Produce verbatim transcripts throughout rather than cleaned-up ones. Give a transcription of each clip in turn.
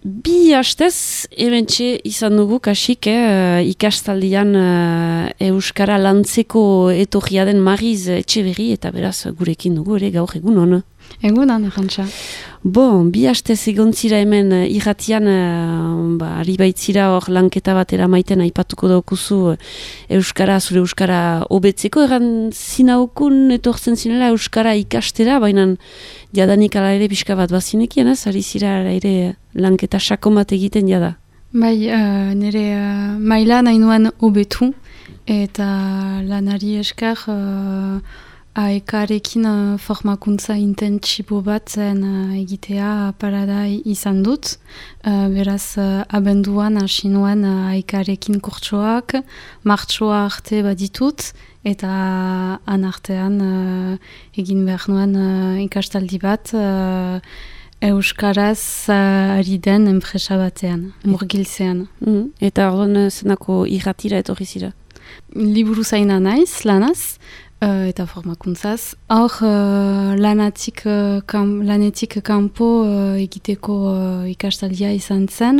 Bi hastez, hementxe izan dugu kasik, eh, ikastaldian eh, Euskara lantzeko etorria den Mariz Etxeberri, eta beraz gurekin dugu ere gaur egun hona. Egun hona, jantza. Bon, bi hastez egon zira hemen eh, irratian, eh, ba, ari baitzira hor lanketa batera maiten aipatuko daukuzu Euskara, zure Euskara hobetzeko, egan zinaukun etortzen zinela Euskara ikastera, baina jadanik ala ere pixka bat bazinekien, ez? Ari zira ere lanketa sakon bat egiten jada. Bai, uh, nire uh, maila nahi nuen hobetu, eta lanari esker uh, aekarekin uh, formakuntza intentsibo bat zen uh, egitea parada izan dut. Uh, beraz, uh, abenduan hasi nuen uh, aekarekin kurtsoak, martsoa arte baditut, eta anartean uh, egin behar nuen uh, ikastaldi bat uh, Euskaraz uh, ari den enpresa batean, murgiltzean. Mm. Eta orduan zenako irratira etorri zira? Liburu zaina naiz, lanaz, uh, eta formakuntzaz. Hor uh, lanatik, uh, kam, lanetik kanpo uh, egiteko uh, ikastaldia izan zen.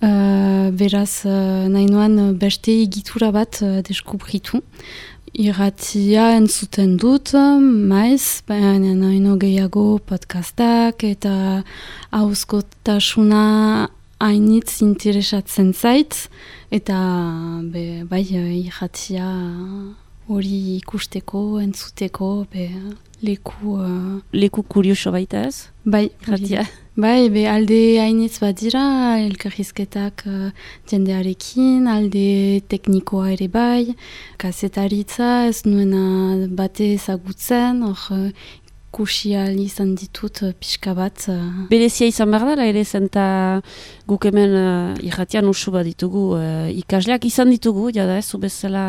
Uh, beraz, uh, nahi nuen beste egitura bat uh, deskubritu. Irratia entzuten dut, maiz, baina naino gehiago podcastak eta hauzkotasuna hainitz interesatzen zait, eta be, bai irratia hori ikusteko, entzuteko, be, leku... Uh, leku kurioso baita ez? Bai, irratia. Bai, be alde hainitz badira, elkarrizketak uh, jendearekin, alde teknikoa ere bai, kazetaritza ez nuena bate ezagutzen, hor uh, kusial izan ditut uh, pixka bat. Uh. Berezia izan behar dara ere zenta guk hemen uh, irratian usu bat ditugu uh, ikasleak izan ditugu, jada ez, bezala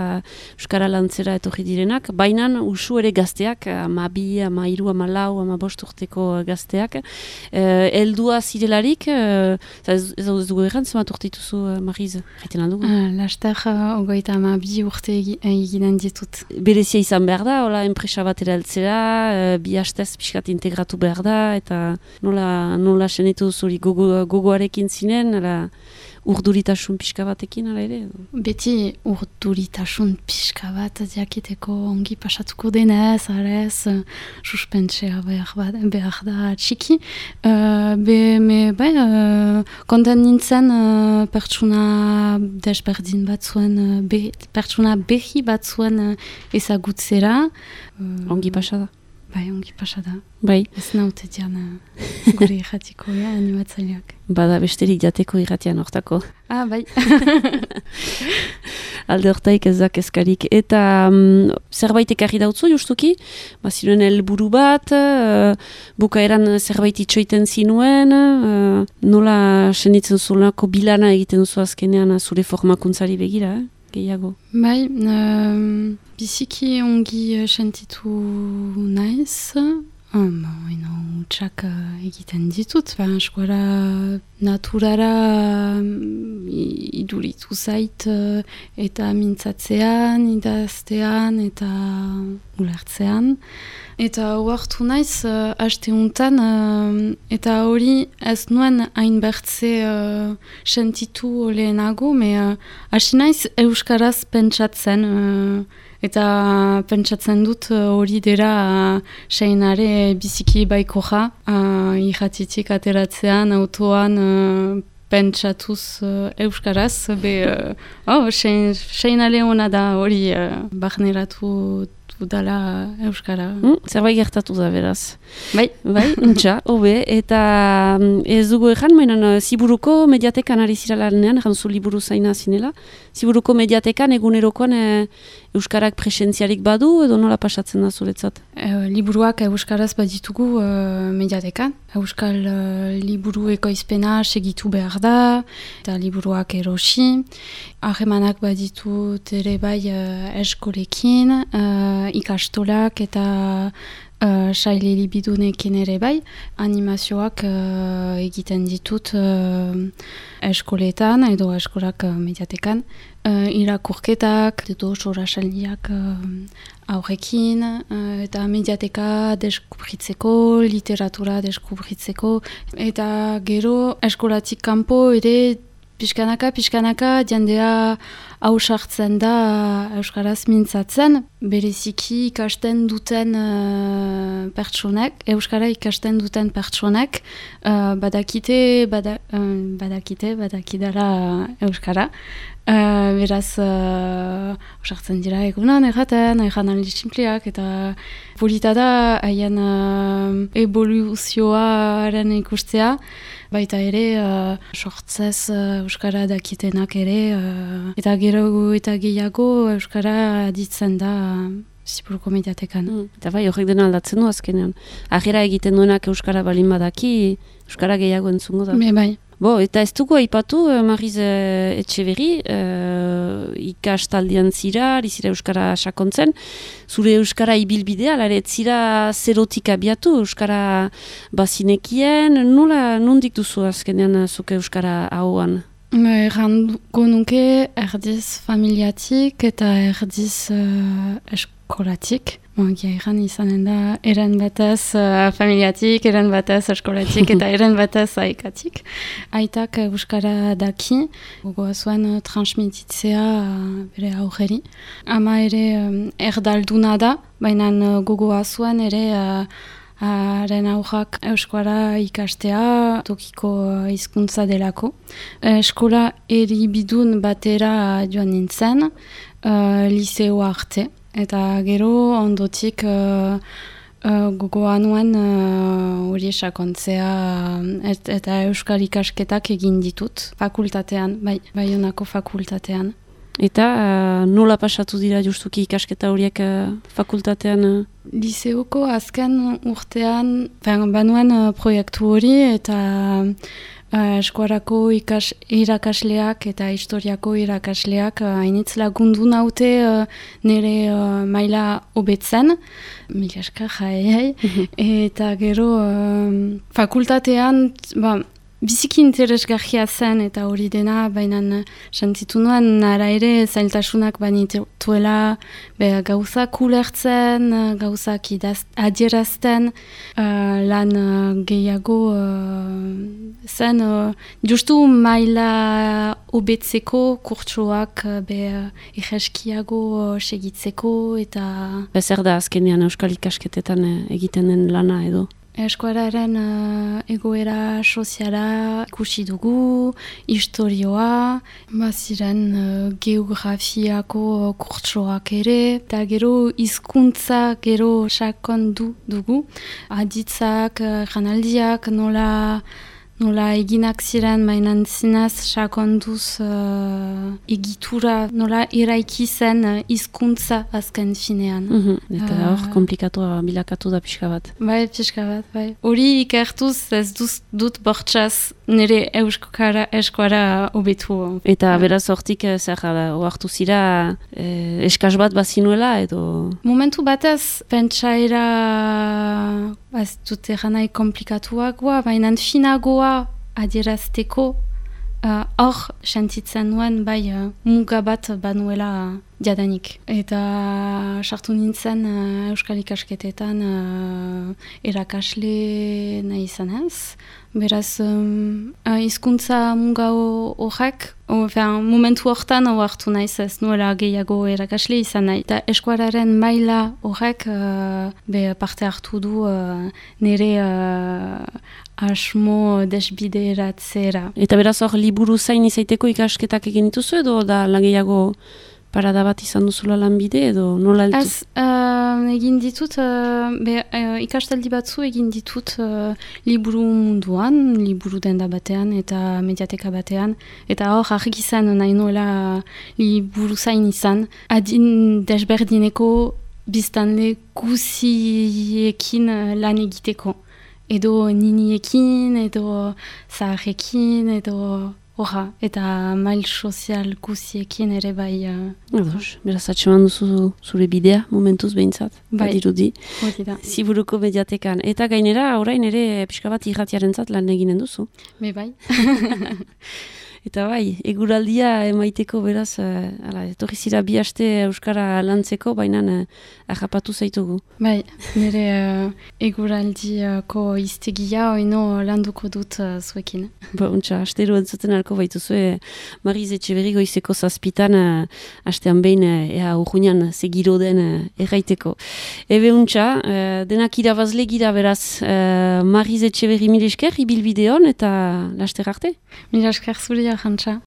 Euskara lantzera etorri direnak, baina usu ere gazteak, ama bi, ama hiru, ama lau, ama bost urteko gazteak, uh, eldua zirelarik, uh, ez, ez dugu erran, zemat urte dituzu, uh, Mariz, erreten aldugu? Uh, Laster, uh, ogoita ama bi urte eginen ditut. Berezia izan behar da, hola, enpresa bat eraltzera, uh, bi hastez pixkat integratu behar da, eta nola, nola senitu zuri gogo, gogoarekin zinen, ala, urduritasun pixka batekin, ala ere? Beti urduritasun pixka bat jakiteko ongi pasatuko denez, arez, suspentsea behar, behar da txiki. Uh, be, me, bai, uh, konten nintzen uh, pertsuna desberdin bat zuen, uh, be, pertsuna behi bat zuen uh, ezagutzera. Uh, ongi pasada. Bai, ongi pasada. Bai. Ez naute dian gure irratiko, ja, animatzaileak. Bada besterik jateko irratian hortako. Ah, bai. Alde hortaik ez da kezkarik. Eta um, zerbait ekarri dautzu, justuki? Baziren helburu bat, uh, bukaeran zerbait itxoiten zinuen, uh, nola senitzen zulako bilana egiten duzu azkenean zure formakuntzari begira, eh? Gehiago. Bai, uh, biziki ongi sentitu naiz, um, ino, utxak uh, egiten ditut, ba, eskuara naturara um, iduritu zait, uh, eta mintzatzean, idaztean, eta ulertzean. Eta huartu naiz, uh, haste untan, uh, eta hori ez nuen hainbertze uh, sentitu lehenago, me uh, hasi naiz euskaraz pentsatzen, uh, eta pentsatzen dut hori uh, dira uh, seinare biziki baikoja, uh, irratitik ateratzean, autoan, uh, pentsatuz uh, euskaraz, be, uh, oh, seinale hona da hori uh, barneratu udala euskara. Mm, zerbait gertatu da, beraz. Bai. Bai, untxa, hobe, eta ez dugu egan, mainan Ziburuko mediatekan ari zira lanean, janzu liburu zaina zinela. Ziburuko mediatekan egunerokoan e, euskarak presentziarik badu, edo nola pasatzen da zuretzat? E, liburuak euskaraz baditugu e, mediatekan. Euskal e, liburu ekoizpena segitu behar da, eta liburuak erosi. Harremanak baditut ere bai e, eskolekin, e, ikastolak eta uh, saile libidunekin ere bai, animazioak uh, egiten ditut uh, eskoletan edo eskolak uh, mediatekan, uh, irakurketak, edo sorasaldiak uh, aurrekin, uh, eta mediateka deskubritzeko, literatura deskubritzeko, eta gero eskolatik kanpo ere Piskanaka, piskanaka, jendea hausartzen da Euskaraz mintzatzen, bereziki ikasten duten uh, pertsonek, Euskara ikasten duten pertsonek, uh, badakite, bada, uh, badakite, badakidala Euskara. Uh, beraz, hausartzen uh, dira egunan erraten, erran simpliak, eta polita da haien uh, evoluzioaren ikustea, baita ere, uh, sortzez uh, Euskara dakitenak ere, uh, eta gero eta gehiago Euskara ditzen da uh, Ziburuko mediatekan. Mm, eta bai, horrek dena aldatzen du azkenean. Agera egiten duenak Euskara balin badaki, Euskara gehiago entzungo da. Be, bai. Bo, eta ez dugu aipatu, Mariz uh, Etxeberri, uh, ikastaldian zira, zira Euskara sakontzen, zure Euskara ibilbidea, lare, zira zerotik abiatu, Euskara bazinekien, nola, nondik duzu azkenean zuke Euskara hauan? Errango nuke erdiz familiatik eta erdiz uh, eskolatik. Moagia erran izanen da, eren batez uh, familiatik, eren batez eskolatik eta eren batez aikatik. Aitak Euskara daki, gogoa zuen uh, transmititzea uh, bere aurreri. Ama ere um, erdalduna da, baina uh, gogoa zuen ere uh, haren aurrak Euskara ikastea tokiko hizkuntza delako. Eskola eribidun batera joan nintzen, uh, liseo arte. Eta gero ondotik uh, uh, gogoa nuen hori uh, sakontzea et, eta Euskal ikasketak egin ditut fakultatean, bai, Baionako fakultatean. Eta uh, nola pasatu dira justuki ikasketa horiek uh, fakultatean? Uh? Liseoko azken urtean banuen uh, proiektu hori eta uh, eskuarako ikas, irakasleak eta historiako irakasleak hainitz uh, lagundu naute uh, nire uh, maila hobetzen, mila esker jai, eta gero uh, fakultatean ba, biziki interesgarria zen eta hori dena, baina sentitu nuen nara ere zailtasunak banituela gauzak ulertzen, gauzak idaz, adierazten, uh, lan uh, gehiago uh, zen, uh, justu maila hobetzeko kurtsoak uh, be uh, ireskiago uh, segitzeko eta... Bezer da azkenean Euskal ikasketetan egiten den lana edo? Eskuararen uh, egoera soziala ikusi dugu, historioa, baziren uh, geografiako kurtsoak ere, eta gero hizkuntza gero sakondu dugu. Aditzak, uh, janaldiak, nola, nola eginak ziren, mainan zinez sakonduz uh, egitura, nola eraiki zen hizkuntza uh, azken finean. Mm-hmm. Eta hor, uh, komplikatua bilakatu da pixka bat. Bai, pixka bat, bai. Hori ikertuz ez duz, dut bortxaz nire euskara eskuara hobetu. Eta beraz hortik zer oartu zira eh, eskaz bat bazinuela edo? Momentu batez, pentsaera ez dut eranai komplikatuagoa, baina finagoa adierazteko hor uh, sentitzen nuen bai uh, muga bat banuela jadanik. Eta sartu nintzen uh, Euskal ikasketetan uh, erakasle nahi izan ez. Beraz, um, uh, hizkuntza muga horrek, momentu hortan hartu naiz ez nuela gehiago erakasle izan nahi. Eta eskuararen maila horrek uh, be parte hartu du uh, nire uh, asmo desbideratzera. Eta beraz hor, liburu zain izaiteko ikasketak egin dituzu edo da gehiago parada bat izan duzula lanbide edo nola altu? Ez, uh, egin ditut, uh, be, uh, ikastaldi batzu egin ditut uh, liburu munduan, liburu denda batean eta mediateka batean. Eta hor, argi izan nahi nuela liburu zain izan. Adin desberdineko biztanle guziekin lan egiteko. Edo niniekin, edo zaharrekin, edo Horra, eta mail sozial guziekin ere bai... Uh, Ados, beraz atseman duzu zure bidea, momentuz behintzat, bai, badirudi. Hori da. Ziburuko mediatekan. Eta gainera, orain ere pixka bat irratiarentzat lan eginen duzu. Be bai. Eta bai, eguraldia emaiteko beraz, uh, ala, etorri zira bi aste Euskara lantzeko, baina uh, arrapatu zaitugu. Bai, nire uh, eguraldiako iztegia oino landuko dut uh, zuekin. Ba, untxa, astero entzuten alko baituzue, Mariz Etxeberri goizeko zazpitan, uh, astean behin, uh, ea urruñan segiro den uh, erraiteko. Ebe untxa, uh, denak irabazle gira beraz, uh, Mariz Etxeberri mil esker, ibilbideon eta laster arte. Mil esker zuria, jantza.